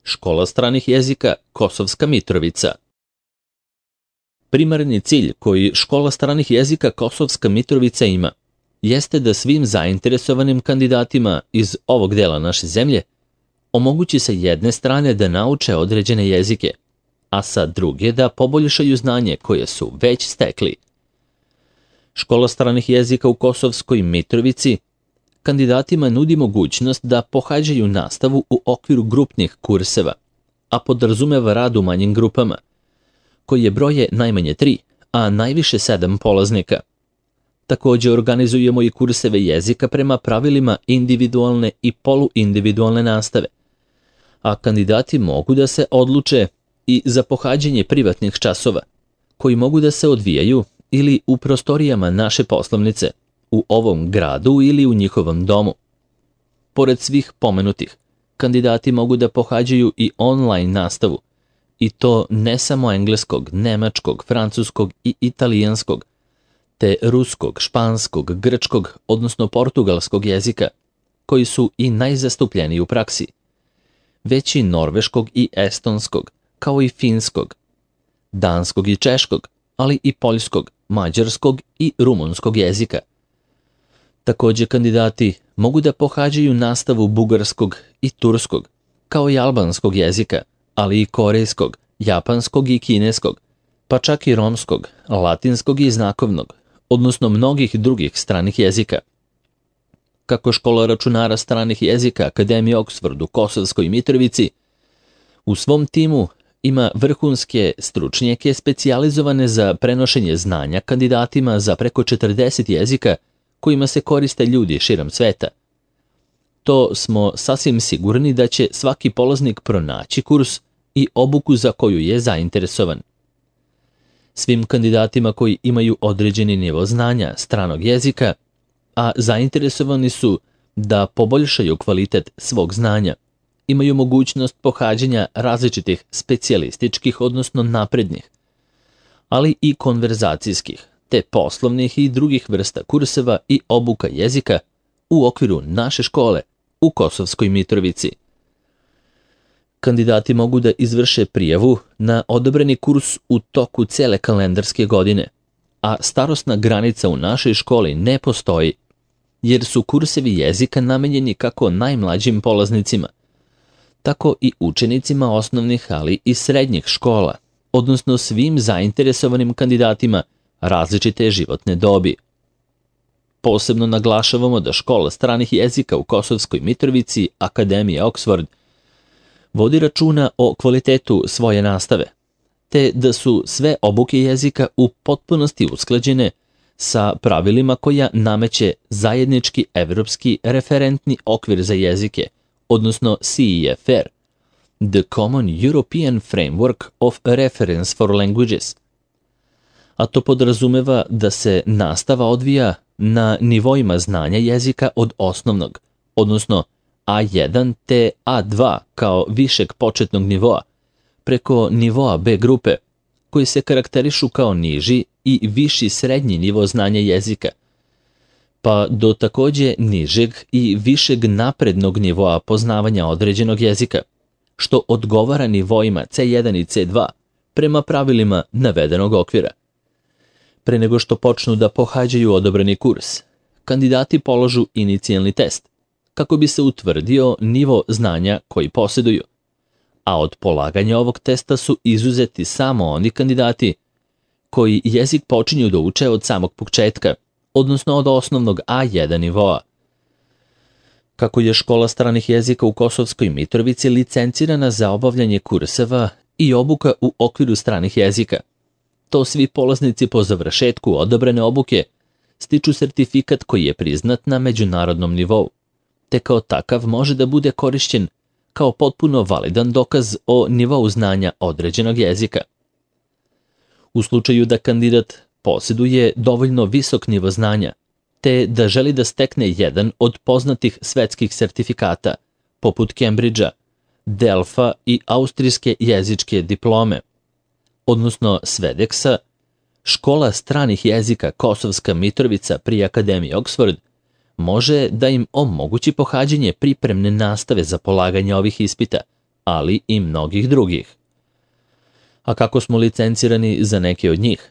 Škola stranih jezika Kosovska Mitrovica. Primarni cilj koji Škola stranih jezika Kosovska Mitrovica ima jeste da svim zainteresovanim kandidatima iz ovog dela naše zemlje omogući sa jedne strane da nauče određene jezike, a sa druge da poboljšaju znanje koje su već stekli. Škola stranih jezika u Kosovskoj Mitrovici kandidatima nudi mogućnost da pohađaju nastavu u okviru grupnih kurseva, a podrazumeva rad u manjim grupama, koje broje najmanje 3, a najviše 7 polaznika. Također organizujemo i kurseve jezika prema pravilima individualne i poluindividualne nastave, a kandidati mogu da se odluče i za pohađanje privatnih časova, koji mogu da se odvijaju ili u prostorijama naše poslovnice, u ovom gradu ili u njihovom domu. Pored svih pomenutih, kandidati mogu da pohađaju i online nastavu, i to ne samo engleskog, nemačkog, francuskog i italijanskog, te ruskog, španskog, grčkog, odnosno portugalskog jezika, koji su i najzastupljeniji u praksi, već i norveškog i estonskog, kao i finskog, danskog i češkog, ali i poljskog, mađarskog i rumunskog jezika. Također kandidati mogu da pohađaju nastavu bugarskog i turskog, kao i albanskog jezika, ali i korejskog, japanskog i kineskog, pa čak i romskog, latinskog i znakovnog, odnosno mnogih drugih stranih jezika. Kako Škola računara stranih jezika Akademije Oxford u Kosovskoj Mitrovici u svom timu ima vrhunske stručnjake specijalizovane za prenošenje znanja kandidatima za preko 40 jezika kojima se koriste ljudi širom sveta. To smo sasvim sigurni da će svaki polaznik pronaći kurs i obuku za koju je zainteresovan. Svim kandidatima koji imaju određeni nivo znanja stranog jezika, a zainteresovani su da poboljšaju kvalitet svog znanja, imaju mogućnost pohađanja različitih specijalističkih, odnosno naprednih, ali i konverzacijskih, te poslovnih i drugih vrsta kurseva i obuka jezika u okviru naše škole u Kosovskoj Mitrovici. Kandidati mogu da izvrše prijavu na odabrani kurs u toku cele kalendarske godine, a starosna granica u našoj školi ne postoji, jer su kursevi jezika namenjeni kako najmlađim polaznicima, tako i učenicima osnovnih, ali i srednjih škola, odnosno svim zainteresovanim kandidatima različite životne dobi. Posebno naglašavamo da Škola stranih jezika u Kosovskoj Mitrovici Akademije Oxford vodi računa o kvalitetu svoje nastave, te da su sve obuke jezika u potpunosti usklađene sa pravilima koja nameće zajednički evropski referentni okvir za jezike, odnosno CEFR, The Common European Framework of Reference for Languages. A to podrazumeva da se nastava odvija na nivoima znanja jezika od osnovnog, odnosno A1 te A2 kao višeg početnog nivoa, preko nivoa B grupe, koji se karakterišu kao niži i viši srednji nivo znanja jezika, pa do također nižeg i višeg naprednog nivoa poznavanja određenog jezika, što odgovara nivoima C1 i C2 prema pravilima navedenog okvira. Pre nego što počnu da pohađaju odabrani kurs, kandidati polažu inicijalni test, kako bi se utvrdio nivo znanja koji posjeduju, a od polaganja ovog testa su izuzeti samo oni kandidati koji jezik počinju da uče od samog početka, odnosno od osnovnog A1 nivoa. Kako je Škola stranih jezika u Kosovskoj Mitrovici licencirana za obavljanje kurseva i obuka u okviru stranih jezika, to svi polaznici po završetku odabrane obuke stiču sertifikat koji je priznat na međunarodnom nivou, te kao takav može da bude korišćen kao potpuno validan dokaz o nivou znanja određenog jezika. U slučaju da kandidat posjeduje dovoljno visok nivo znanja, te da želi da stekne jedan od poznatih svetskih sertifikata, poput Cambridgea, Delfa i austrijske jezičke diplome, odnosno Svedeksa, Škola stranih jezika Kosovska Mitrovica pri Akademiji Oxford može da im omogući pohađanje pripremne nastave za polaganje ovih ispita ali i mnogih drugih. A kako smo licencirani za neke od njih?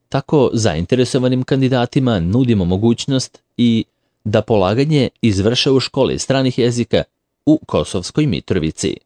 Tako zainteresovanim kandidatima nudimo mogućnost i da polaganje izvrše u školi stranih jezika u Kosovskoj Mitrovici.